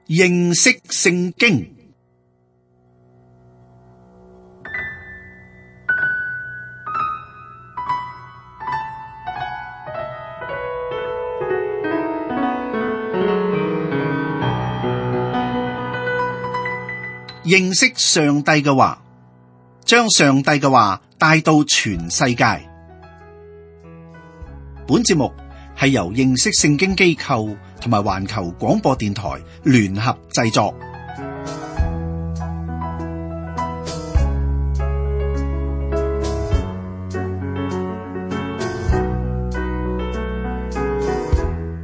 認識聖經。認識上帝嘅話，將上帝嘅話帶到全世界。本節目係由認識聖經機構同埋環球廣播電台聯合製作。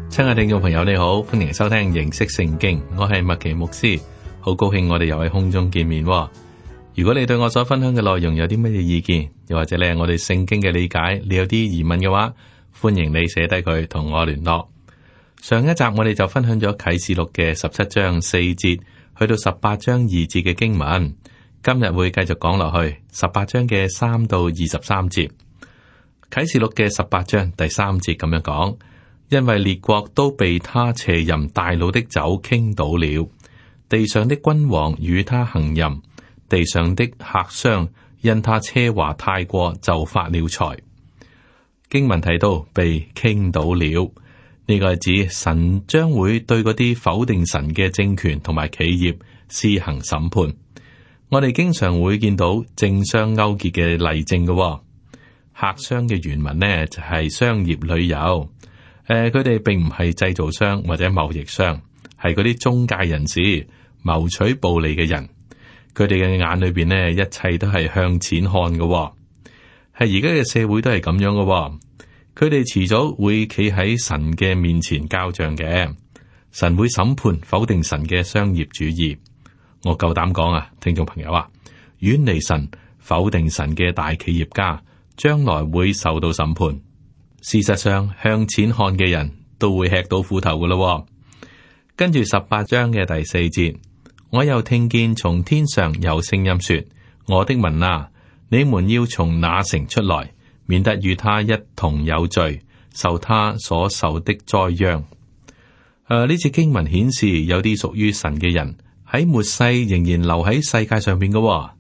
親愛的聽眾朋友，你好，歡迎收聽認識聖經，我係麥奇牧師，好高興我哋又喺空中見面。如果你對我所分享嘅內容有啲乜嘢意見，又或者你係我哋聖經嘅理解，你有啲疑問嘅話，歡迎你寫低佢同我聯絡。上一集我哋就分享咗啟示錄嘅17章4節去到18章2節嘅經文，今日會繼續講落去18章嘅3到23節。啟示錄嘅18章第3節咁樣講，因為列國都被他邪淫大怒的酒傾倒了，地上的君王與他行淫，地上的客商因他奢華太過就發了財。經文提到被傾倒了，呢個係指神將會對嗰啲否定神嘅政權同埋企業施行審判。我哋經常會見到政商勾結嘅例證嘅。客商嘅原文呢就係商業旅遊，佢哋並唔係製造商或者貿易商，係嗰啲中介人士，謀取暴利嘅人。佢哋嘅眼裏邊呢，一切都係向錢看嘅。係而家嘅社會都係咁樣嘅，佢哋遲早會企喺神嘅面前交賬嘅，神會審判否定神嘅商業主義。我夠膽講啊，聽眾朋友啊，遠離神、否定神嘅大企業家，將來會受到審判。事實上，向錢看嘅人都會吃到苦頭嘅咯。跟住18章嘅第4節，我又聽見從天上有聲音說：我的民啊，你們要從那城出來，免得與他一同有罪，受他所受的災殃。呢次經文顯示有啲屬於神嘅人喺末世仍然留喺世界上邊嘅，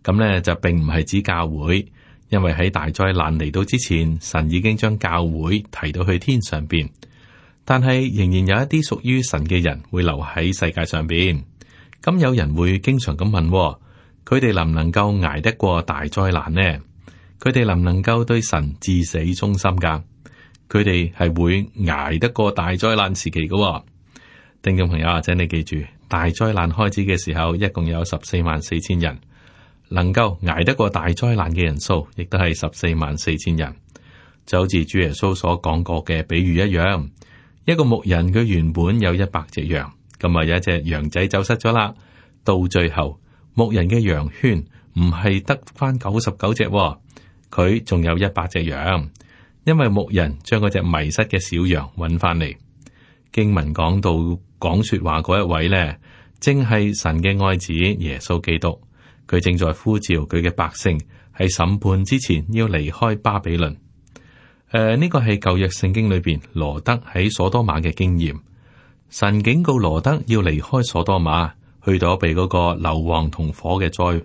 咁呢就並唔係指教會，因為喺大災難嚟到之前，神已經將教會提到去天上邊，但係仍然有一啲屬於神嘅人會留喺世界上邊。咁有人會經常咁問，佢哋能唔能夠捱得過大災難呢？佢哋能唔能夠對神至死忠心噶？佢哋係會捱得過大災難時期噶。聽眾朋友，請你記住，大災難開始嘅時候，一共有144000人，能夠捱得過大災難嘅人數，亦都係144000人。就好似主耶穌所講過嘅比喻一樣，一個牧人佢原本有100隻羊，咁啊有一隻羊仔走失咗啦，到最後牧人嘅羊圈唔係得翻99隻，佢仲有100隻羊，因為牧人將嗰隻迷失嘅小羊揾翻嚟。經文講到講說話嗰一位呢，正係神嘅愛子耶穌基督，佢正在呼召佢嘅百姓喺審判之前要離開巴比倫。呢個係舊約聖經裏邊羅德喺所多瑪嘅經驗。神警告羅德要離開所多瑪，去躲避嗰個硫磺同火嘅災。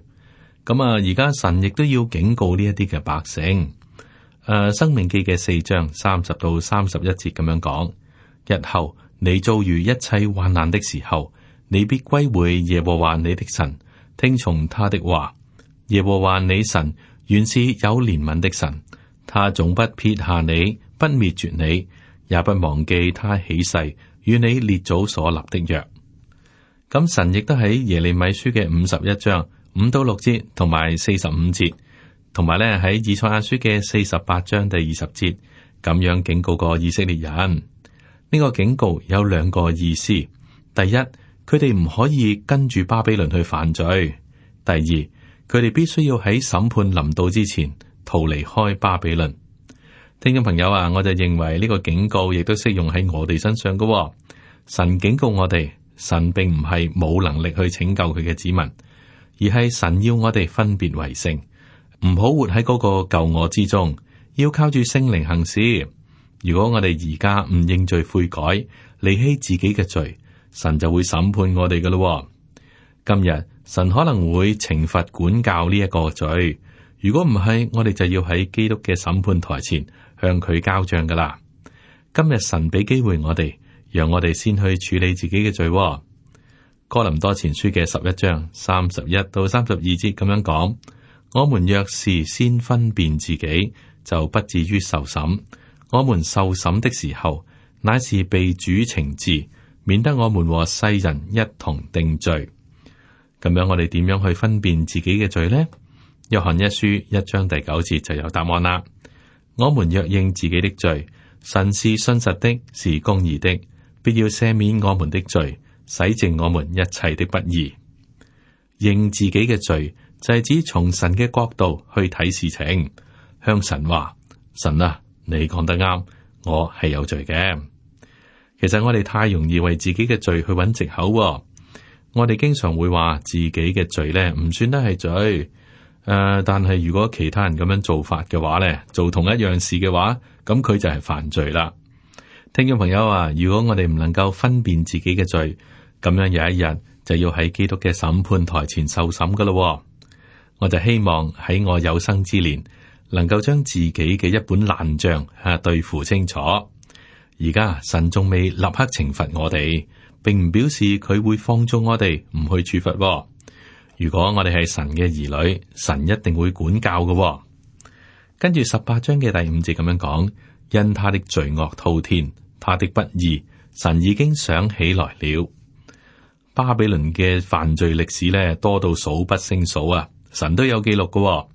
咁啊，而家神亦都要警告呢一啲嘅百姓。申命記嘅4章30到31節咁樣講：日後你遭遇一切患難的時候，你必歸回耶和華你的神，聽從他的話。耶和華你神原是有憐憫的神，他總不撇下你，不滅絕你，也不忘記他起誓與你列祖所立的約。咁神亦都喺耶利米書嘅51章5到6節，同埋45節，同埋咧喺以賽亞書嘅48章第20節，咁樣警告過以色列人。呢個警告有2個意思：第一，佢哋唔可以跟住巴比倫去犯罪；第二，佢哋必須要喺審判臨到之前逃離開巴比倫。聽眾朋友啊，我就認為呢個警告亦都適用喺我哋身上㗎。神警告我哋，神並唔係冇能力去拯救佢嘅子民，而係神要我哋分別為聖，唔好活喺嗰個舊我之中，要靠住聖靈行事。如果我哋而家唔認罪悔改，離棄自己嘅罪，神就會審判我哋噶咯。今日神可能會懲罰管教呢一個罪，如果唔係，我哋就要喺基督嘅審判台前向佢交賬噶啦。今日神俾機會我哋，讓我哋先去處理自己嘅罪。哥林多前書嘅11章31到32節咁樣講：我們若是先分辨自己，就不至於受審。我們受審的時候，乃是被主懲治，免得我們和世人一同定罪。咁樣我哋點樣去分辨自己嘅罪呢？約翰一書1章第9節就有答案啦。我們若認自己的罪，神是信實的，是公義的，必要赦免我們的罪，洗淨我們一切的不義。認自己嘅罪就係指從神嘅角度去睇事情，向神話：神啊，你講得啱，我係有罪嘅。其實我哋太容易為自己嘅罪去揾藉口。我哋經常會話自己嘅罪咧唔算得係罪，但係如果其他人咁樣做法嘅話咧，做同一樣事嘅話，咁佢就係犯罪啦。聽眾朋友啊，如果我哋唔能夠分辨自己嘅罪，咁樣有一日就要喺基督嘅審判台前受審噶咯。我就希望喺我有生之年，能夠將自己嘅一本爛賬對付清楚。而家神仲未立刻懲罰我哋，並唔表示佢會放縱我哋唔去處罰。如果我哋係神嘅兒女，神一定會管教嘅。跟住18章嘅第5節咁樣講：因他的罪惡滔天，他的不義，神已經想起來了。巴比倫嘅犯罪歷史咧多到數不勝數啊！神都有記錄嘅。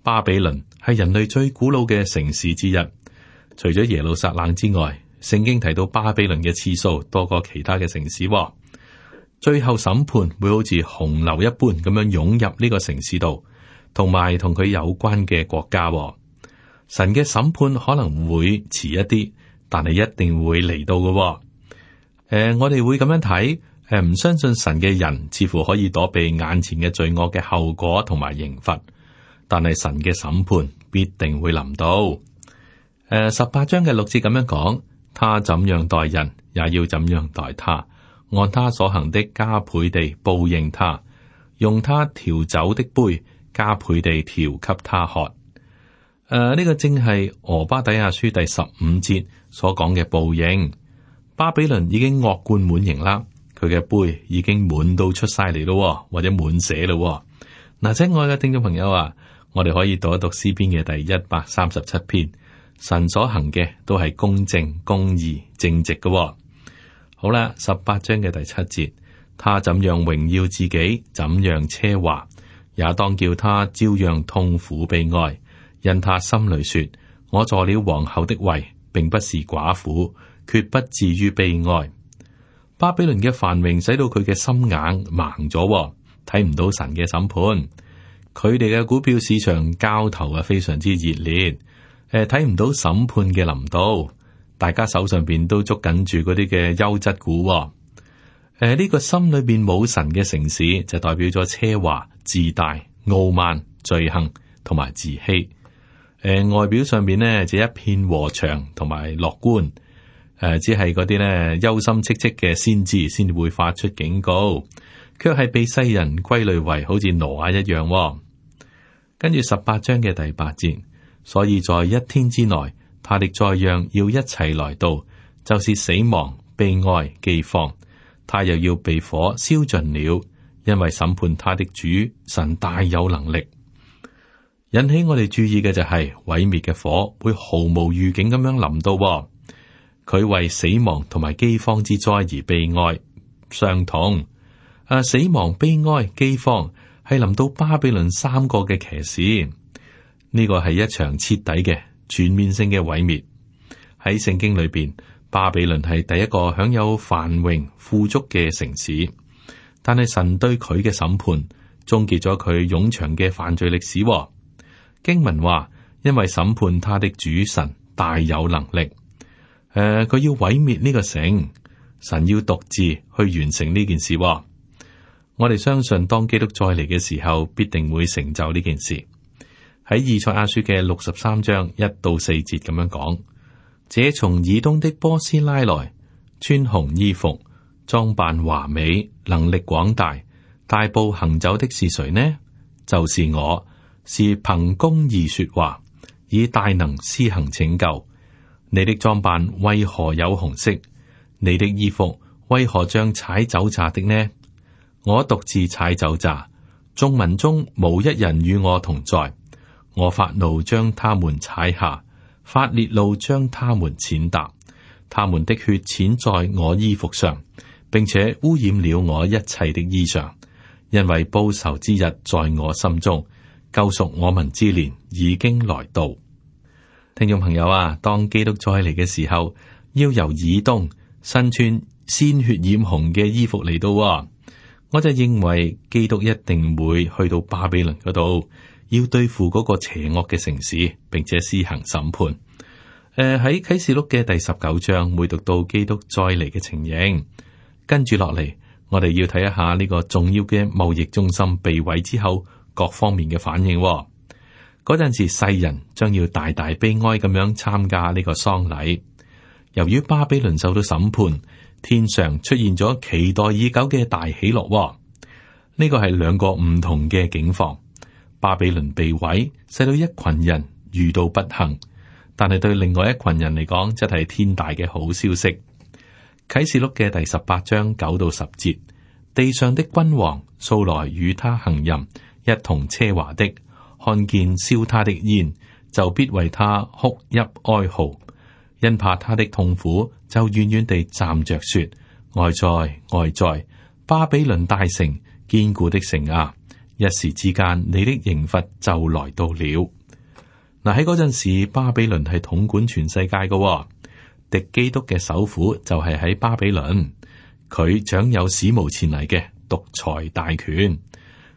巴比倫係人類最古老嘅城市之一，除咗耶路撒冷之外，聖經提到巴比倫嘅次數多過其他嘅城市。最後審判會好似洪流一般咁樣湧入呢個城市度，同埋同佢有關嘅國家。神嘅審判可能會遲一啲，但係一定會嚟到嘅。我哋會咁樣睇，唔相信神嘅人似乎可以躲避眼前嘅罪惡嘅後果同埋刑罰，但係神嘅審判必定會臨到。18章嘅6節咁樣講：他怎樣待人，也要怎樣待他，按他所行的加倍地報應他，用他調酒的杯加倍地調給他喝。呢個正係俄巴底亞書第15節所講嘅報應。巴比倫已經惡貫滿盈啦，佢嘅杯已經滿到出晒嚟咯，或者滿瀉咯。嗱，親愛嘅聽眾朋友啊，我哋可以讀一讀詩篇嘅第137篇。神所行嘅都係公正、公義、正直嘅。好啦，18章嘅第7節，他怎樣榮耀自己，怎樣奢華，也當叫他照樣痛苦悲哀。因他心裏說：我坐了皇后的位，並不是寡婦，決不至於悲哀。巴比倫嘅繁榮使到佢嘅心眼盲咗，睇唔到神嘅審判。佢哋嘅股票市場交投啊，非常之熱烈。睇唔到審判嘅臨到，大家手上邊都捉緊住嗰啲嘅優質股。呢個心裏邊冇神嘅城市，就代表咗奢華、自大、傲慢、罪行同埋自欺。外表上邊呢，就一片和祥同埋樂觀。只係嗰啲呢憂心戚戚嘅先知先會發出警告，卻係被世人歸類為好似挪亞一樣。跟住18章嘅第8節。所以在一天之內，他的災殃要一齊來到，就是死亡、悲哀、饑荒，他又要被火燒盡了，因為審判他的主神大有能力。引起我哋注意嘅就係毀滅嘅火會毫無預警咁樣臨到，佢為死亡同埋饑荒之災而悲哀傷痛。死亡、悲哀、饑荒係臨到巴比倫3個嘅騎士。呢個係一場徹底嘅全面性嘅毀滅。喺聖經裏邊，巴比倫係第一個享有繁榮富足嘅城市，但係神對佢嘅審判終結咗佢冗長嘅犯罪歷史。經文話，因為審判他的主神大有能力，佢要毀滅呢個城，神要獨自去完成呢件事。我哋相信，當基督再嚟嘅時候，必定會成就呢件事。喺以賽亞書嘅63章1到4節咁樣講：這從以東的波斯拉來，穿紅衣服，裝扮華美，能力廣大，大步行走的是誰呢？就是我，是憑公義說話，以大能施行拯救。你的裝扮為何有紅色？你的衣服為何像踩酒榨的呢？我獨自踩酒榨，眾民中無一人與我同在。我發怒將他們踩下，發烈怒將他們踐踏。他們的血濺在我衣服上，並且污染了我一切的衣裳。因為報仇之日在我心中，救贖我民之年已經來到。聽眾朋友啊，當基督再嚟嘅時候，要由以東身穿鮮血染紅嘅衣服嚟到，我就認為基督一定會去到巴比倫嗰度，要對付嗰個邪惡嘅城市，並且施行審判。喺啟示錄嘅第19章會讀到基督再嚟嘅情形，跟住落嚟，我哋要睇一下呢個重要嘅貿易中心被毀之後各方面嘅反應。嗰陣時，世人將要大大悲哀咁樣參加呢個喪禮。由於巴比倫受到審判，天上出現咗期待已久嘅大喜樂。呢個係兩個唔同嘅境況。巴比倫被毀，使到一群人遇到不幸，但係對另外一群人嚟講，則係天大嘅好消息。啟示錄嘅第18章9到10節，地上的君王素來與他行淫，一同奢華的，看見燒他的煙，就必為他哭泣哀號，因怕他的痛苦，就遠遠地站着說：哀哉，哀哉！巴比倫大城，堅固的城啊！一時之間，你的刑罰就來到了。嗱，喺嗰陣時，巴比倫係統管全世界嘅，敵基督嘅首府就係喺巴比倫，佢掌有史無前例嘅獨裁大權。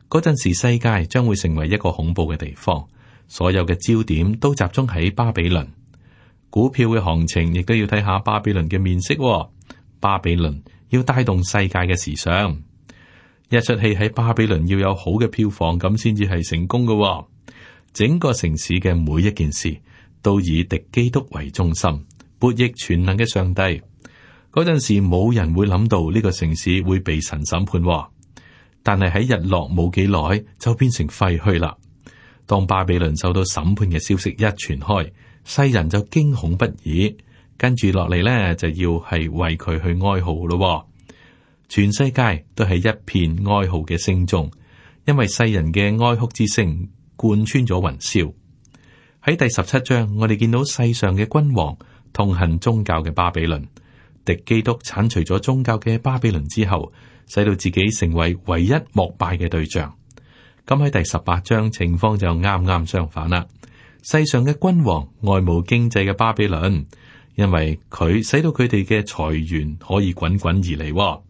嗰陣時，世界將會成為一個恐怖嘅地方，所有嘅焦點都集中喺巴比倫。股票嘅行情亦都要睇下巴比倫嘅面色。巴比倫要帶動世界嘅時尚，一出戲喺巴比倫要有好嘅票房，咁先至係成功嘅。整個城市嘅每一件事都以敵基督為中心，悖逆全能嘅上帝。嗰陣時冇人會諗到呢個城市會被神審判，但係喺日落冇幾耐就變成廢墟啦。當巴比倫受到審判嘅消息一傳開，世人就驚恐不已，跟住落嚟呢，就要係為佢去哀號咯。全世界都係一片哀號嘅聲中，因為世人嘅哀哭之聲貫穿咗雲霄。喺第17章，我哋見到世上嘅君王痛恨宗教嘅巴比倫，敵基督鏟除咗宗教嘅巴比倫之後，使到自己成為唯一膜拜嘅對象。咁喺第18章情況就啱啱相反啦。世上嘅君王愛慕經濟嘅巴比倫，因為佢使到佢哋嘅財源可以滾滾而嚟。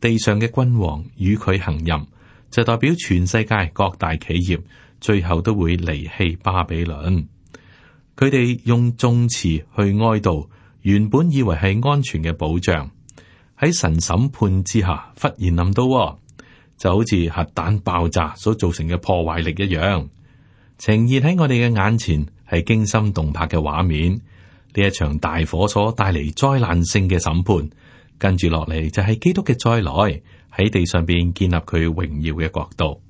地上嘅君王與佢行淫，就代表全世界各大企業最後都會離棄巴比倫。佢哋用頌詞去哀悼原本以為係安全嘅保障，喺神審判之下忽然臨到，就好似核彈爆炸所造成嘅破壞力一樣，呈現喺我哋嘅眼前係驚心動魄嘅畫面。呢一場大火所帶嚟災難性嘅審判，跟住落嚟就係基督嘅再來，喺地上邊建立佢榮耀嘅國度。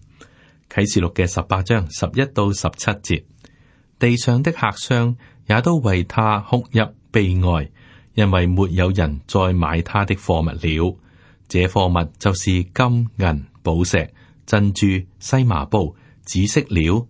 啟示錄嘅18章11到17節，地上的客商也都為他哭泣悲哀，因為沒有人再買他的貨物了。這貨物就是金銀寶石、珍珠、細麻布、紫色料、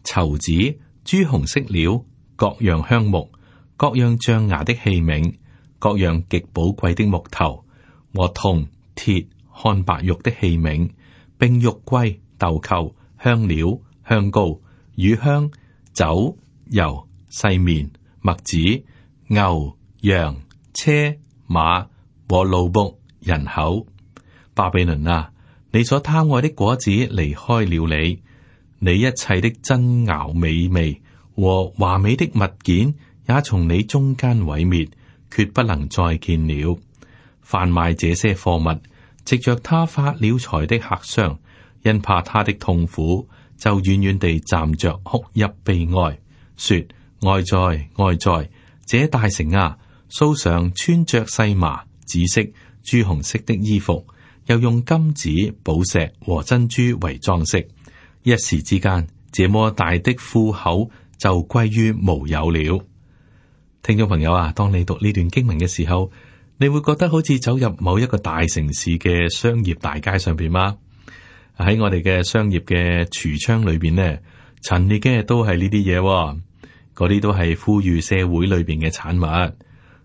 綢子、朱紅色料、各樣香木、各樣象牙的器皿、各樣極寶貴的木頭和銅鐵漢白玉的器皿，並玉圭、豆蔻、香料、香膏、乳香、酒、油、細麵、麥子、牛、羊、車、馬和奴僕、人口。巴比倫啊，你所貪愛的果子離開了你，你一切的珍餚美味和華美的物件也從你中間毀滅，決不能再見了。販賣這些貨物，藉着他發了財的客商，因怕他的痛苦，就遠遠地站着哭泣悲哀，說：哀哉，哀哉！這大城啊，素常穿着細麻、紫色、朱紅色的衣服，又用金子、寶石和珍珠為裝飾。一時之間，這麼大的庫口就歸於無有了。聽眾朋友啊，當你讀呢段經文嘅時候，你會覺得好似走入某一個大城市嘅商業大街上邊嗎？喺我哋嘅商業嘅櫥窗裏邊呢，陳列嘅都係呢啲嘢，嗰啲都係富裕社會裏邊嘅產物。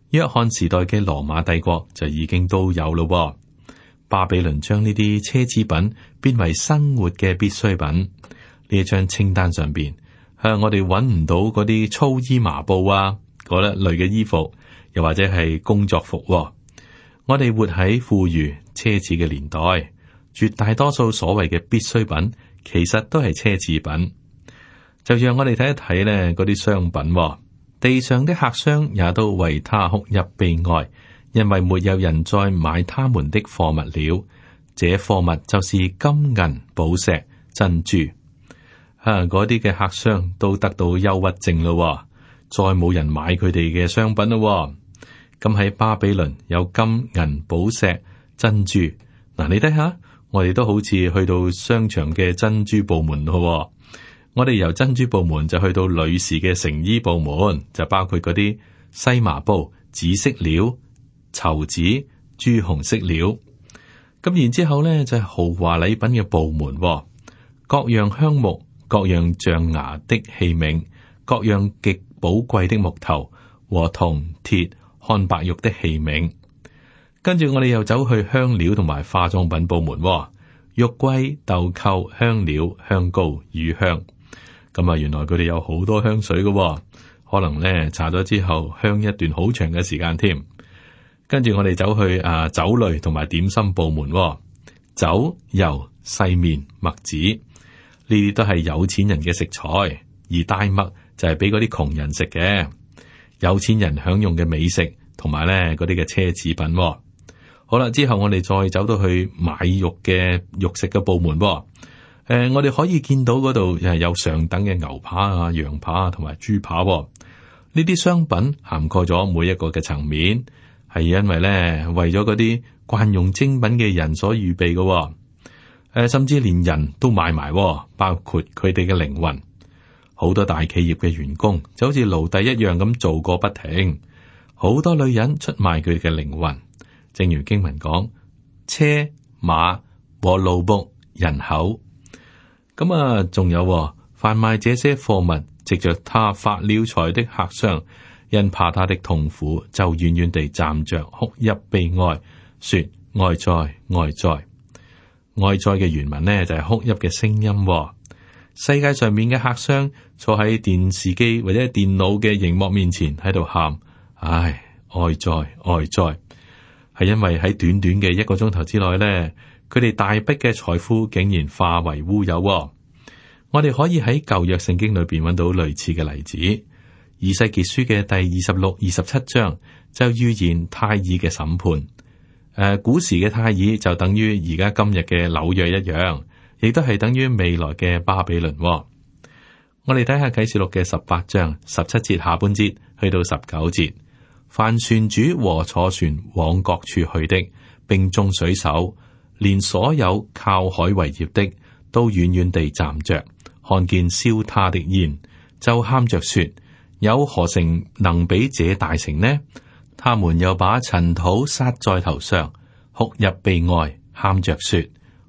約翰時代嘅羅馬帝國就已經都有咯。巴比倫將呢啲奢侈品變為生活嘅必需品。呢一張清單上邊，我哋揾唔到嗰啲粗衣麻布啊，嗰一類嘅衣服，又或者係工作服。我哋活喺富裕奢侈嘅年代，絕大多數所謂嘅必需品，其實都係奢侈品。就讓我哋睇一睇呢嗰啲商品。地上的客商也都為他哭泣悲哀，因為沒有人再買他們的貨物了。這貨物就是金銀寶石珍珠。嗰啲嘅客商都得到憂鬱症咯，再冇人買佢哋嘅商品咯。咁喺巴比倫有金銀寶石珍珠。嗱，你睇下，我哋都好似去到商場嘅珍珠部門咯。我哋由珍珠部門就去到女士嘅成衣部門，就包括嗰啲西麻布、紫色料、綢子、朱紅色料。咁然之後咧就係豪華禮品嘅部門，各樣香木、各樣象牙的器皿、各樣極寶貴的木頭和銅鐵、漢白玉的器皿。跟住我哋又走去香料同埋化妝品部門，玉桂、豆蔻、香料、香膏、乳香。咁啊，原來佢哋有好多香水嘅，可能咧搽咗之後香一段好長嘅時間添。跟住我哋走去酒類同埋點心部門，酒、油、細麵、麥子，呢啲都係有錢人嘅食材，而大麥就係俾嗰啲窮人食嘅。有錢人享用嘅美食同埋咧嗰啲嘅奢侈品。好啦，之後我哋再走到去買肉嘅肉食嘅部門。我哋可以見到嗰度有上等嘅牛扒啊、羊扒啊同埋豬扒。呢啲商品涵蓋咗每一個嘅層面，係因為咧為咗嗰啲慣用精品嘅人所預備嘅。甚至連人都買埋，包括佢哋嘅靈魂。好多大企業嘅員工就好似奴隸一樣咁做過不停。好多女人出賣佢哋嘅靈魂，正如經文講，車馬和奴僕人口。咁啊，仲有販賣這些貨物，藉着他發了財的客商，因怕他的痛苦，就遠遠地站着哭泣悲哀，說哀哉哀哉。哀哉嘅原文呢，就係哭泣嘅聲音。世界上面嘅客商坐喺電視機或者電腦嘅熒幕面前喺度喊，唉，哀哉哀哉，係因為喺短短嘅1個鐘頭之內呢，佢哋大筆嘅財富竟然化為烏有。我哋可以喺舊約聖經裏邊揾到類似嘅例子。以西結書嘅第26、27章就預言泰爾嘅審判。古時嘅泰爾就等於而家今日嘅紐約一樣，亦都係等於未來嘅巴比倫。我哋睇下啟示錄嘅18章17節下半節去到19節，凡船主和坐船往各處去的，並眾水手，連所有靠海為業的，都遠遠地站着，看見燒他的煙，就喊着說：有何城能比這大城呢？他們又把塵土撒在頭上，哭泣悲哀，喊着說：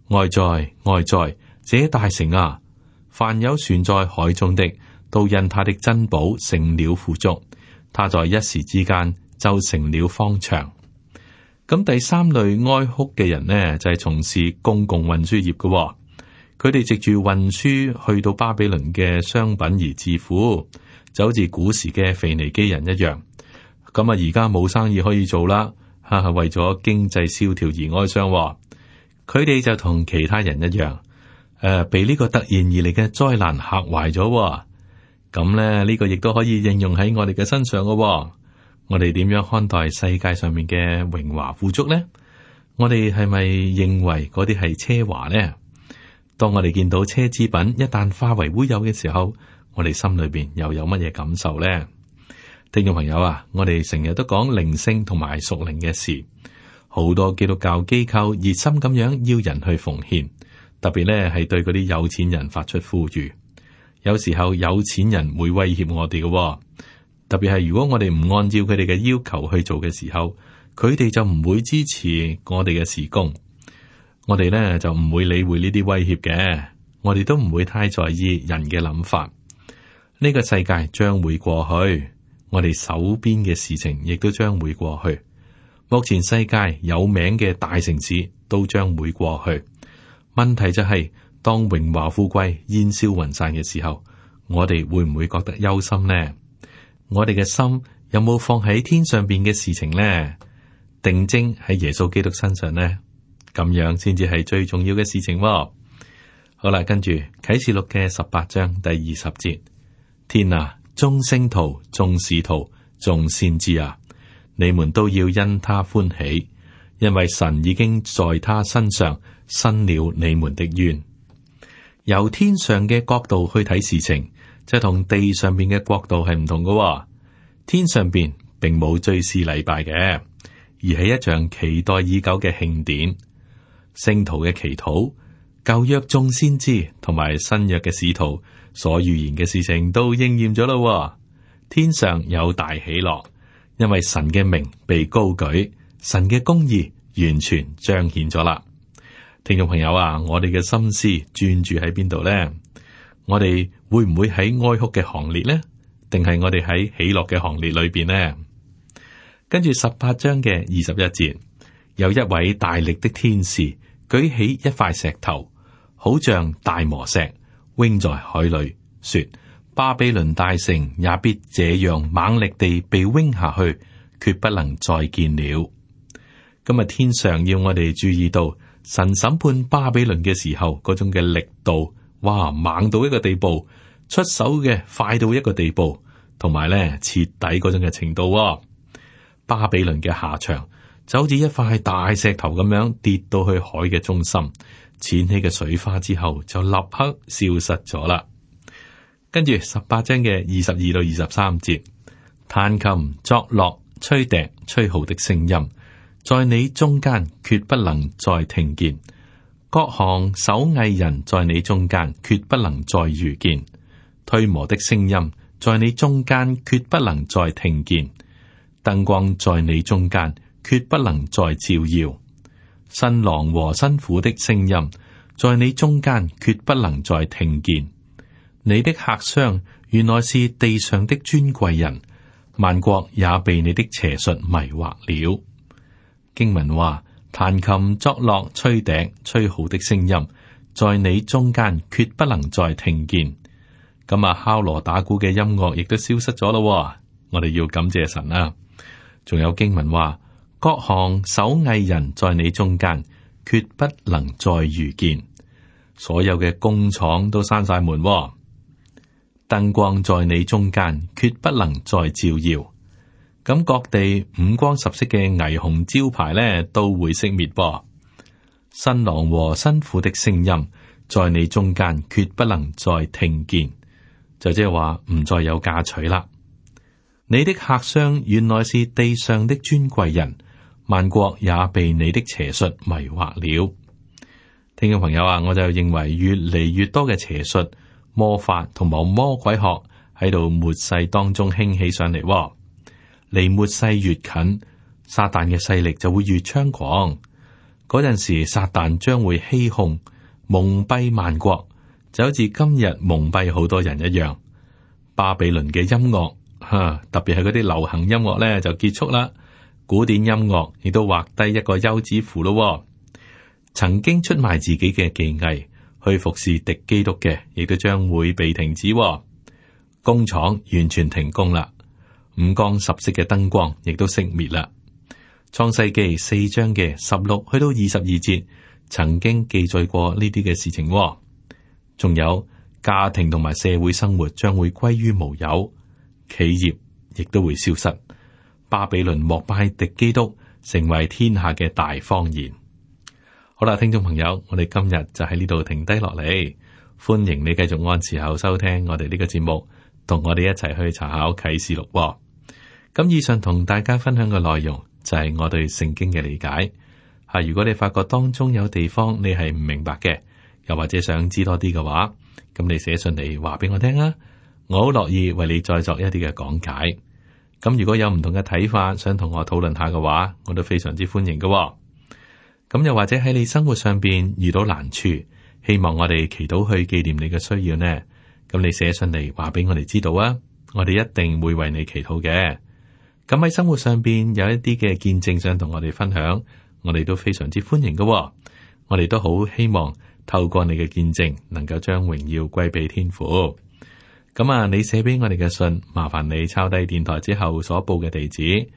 哀哉哀哉，這大城啊！凡有船在海中的，都因他的珍寶成了富足，他在一時之間就成了荒場。咁第三類哀哭嘅人呢，就係從事公共運輸業嘅。佢哋藉住運輸去到巴比倫嘅商品而致富，就好似古時嘅腓尼基人一樣。咁啊，而家冇生意可以做啦，為咗經濟蕭條而哀傷。佢哋就同其他人一樣，被呢個突然而嚟嘅災難嚇壞咗。咁咧，呢個亦都可以應用喺我哋嘅身上嘅。我哋點樣看待世界上面嘅榮華富足呢？我哋係咪認為嗰啲係奢華呢？當我哋見到奢侈品一旦化為烏有嘅時候，我哋心裏邊又有乜嘢感受呢？聽眾朋友啊，我哋成日都講靈性同埋屬靈嘅事，好多基督教機構熱心咁樣要人去奉獻，特別咧係對嗰啲有錢人發出呼籲。有時候有錢人會威脅我哋嘅，特別係如果我哋唔按照佢哋嘅要求去做嘅時候，佢哋就唔會支持我哋嘅事工。我哋咧就唔會理會呢啲威脅嘅，我哋都唔會太在意人嘅諗法。呢個世界將會過去，我哋手邊嘅事情亦都將會過去。目前世界有名嘅大城市都將會過去。問題就係，當榮華富貴煙消雲散嘅時候，我哋會唔會覺得憂心呢？我哋嘅心有冇放喺天上邊嘅事情呢？定睛喺耶穌基督身上呢？咁樣先至係最重要嘅事情喎。好啦，跟住啟示錄嘅18章第20節，天啊，眾聖徒、眾使徒、眾先知啊，你們都要因他歡喜，因為神已經在他身上伸了你們的冤。由天上嘅角度去睇事情，就同地上邊嘅角度係唔同嘅喎。天上邊並冇追思禮拜嘅，而係一場期待已久嘅慶典。聖徒嘅祈禱、舊約眾先知同埋新約嘅使徒所預言嘅事情都應驗咗咯。天上有大喜樂，因為神嘅名被高舉，神嘅公義完全彰顯咗啦。聽眾朋友啊，我哋嘅心思專注喺邊度呢？我哋會唔會喺哀哭嘅行列呢？定係我哋喺喜樂嘅行列裏邊呢？跟住18章嘅21節，有一位大力的天使舉起一塊石頭，好像大磨石，扔在海裏，說：巴比倫大城也必這樣猛力地被扔下去，決不能再見了。今日天上要我哋注意到神審判巴比倫嘅時候嗰種嘅力度，哇，猛到一個地步，出手嘅快到一個地步，同埋咧徹底嗰種嘅程度。巴比倫嘅下場就好似一塊大石頭咁樣跌到去海嘅中心，濺起嘅水花之後就立刻消失咗啦。跟住18章嘅22到23節，彈琴、作樂、吹笛、吹號的聲音，在你中間決不能再聽見；各行手藝人在你中間決不能再遇見；推磨的聲音在你中間決不能再聽見；燈光在你中間決不能再照耀；新郎和新婦的聲音在你中間決不能再聽見。你的客商原來是地上的尊貴人，萬國也被你的邪術迷惑了。經文話：彈琴、作樂、吹笛、吹號的聲音，在你中間決不能再聽見。咁啊，敲鑼打鼓嘅音樂亦都消失咗咯。我哋要感謝神啊！仲有經文話：各行手藝人在你中間決不能再遇見。所有嘅工廠都閂晒門，燈光在你中間決不能再照耀。咁各地五光十色嘅霓虹招牌咧都會熄滅噃。新郎和新婦的聲音在你中間決不能再聽見，就即係話唔再有嫁娶啦。你的客商原來是地上的尊貴人，萬國也被你的邪術迷惑了。聽眾朋友啊，我就認為越嚟越多嘅邪術、魔法同埋魔鬼學喺度末世當中興起上嚟。離末世越近，撒旦嘅勢力就會越猖狂。嗰陣時，撒旦將會欺哄、蒙蔽萬國，就好似今日蒙蔽好多人一樣。巴比倫嘅音樂，特別係嗰啲流行音樂咧，就結束啦。古典音樂亦都畫低一個休止符咯。曾經出賣自己嘅技藝去服侍敵基督嘅，亦都將會被停止。工廠完全停工啦。五光十色嘅燈光亦都熄滅啦。創世記4章嘅16去到22節，曾經記載過呢啲嘅事情。仲有家庭同埋社會生活將會歸於無有，企業亦都會消失。巴比倫膜拜敵基督，成為天下嘅大謊言。好啦，聽眾朋友，我哋今日就喺呢度停低落嚟，歡迎你繼續按時候收聽我哋呢個節目，同我哋一齊去查考啟示錄。咁以上同大家分享嘅內容就係我對聖經嘅理解。如果你發覺當中有地方你係唔明白嘅，又或者想知多啲嘅話，咁你寫信嚟話俾我聽啊，我好樂意為你再作一啲嘅講解。咁如果有唔同嘅睇法，想同我討論下嘅話，我都非常之歡迎嘅。咁又或者喺你生活上邊遇到難處，希望我哋祈禱去紀念你嘅需要呢？咁你寫信嚟話俾我哋知道啊，我哋一定會為你祈禱嘅。咁喺生活上邊有一啲嘅見證想同我哋分享，我哋都非常之歡迎嘅。我哋都好希望透過你嘅見證，能夠將榮耀歸俾天父。咁你寫俾我哋嘅信，麻煩你抄低電台之後所報嘅地址，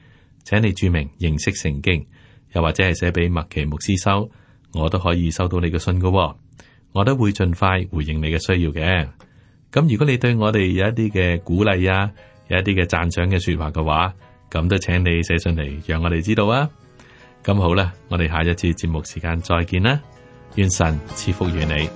請你注明認識聖經，又或者係寫俾麥奇牧師收，我都可以收到你嘅信嘅。我都會盡快回應你嘅需要嘅。咁如果你對我哋有一啲嘅鼓勵啊，有一啲嘅讚賞嘅說話嘅話，咁都請你寫信嚟，讓我哋知道啊。咁好啦，我哋下一次節目時間再見啦，願神賜福於你。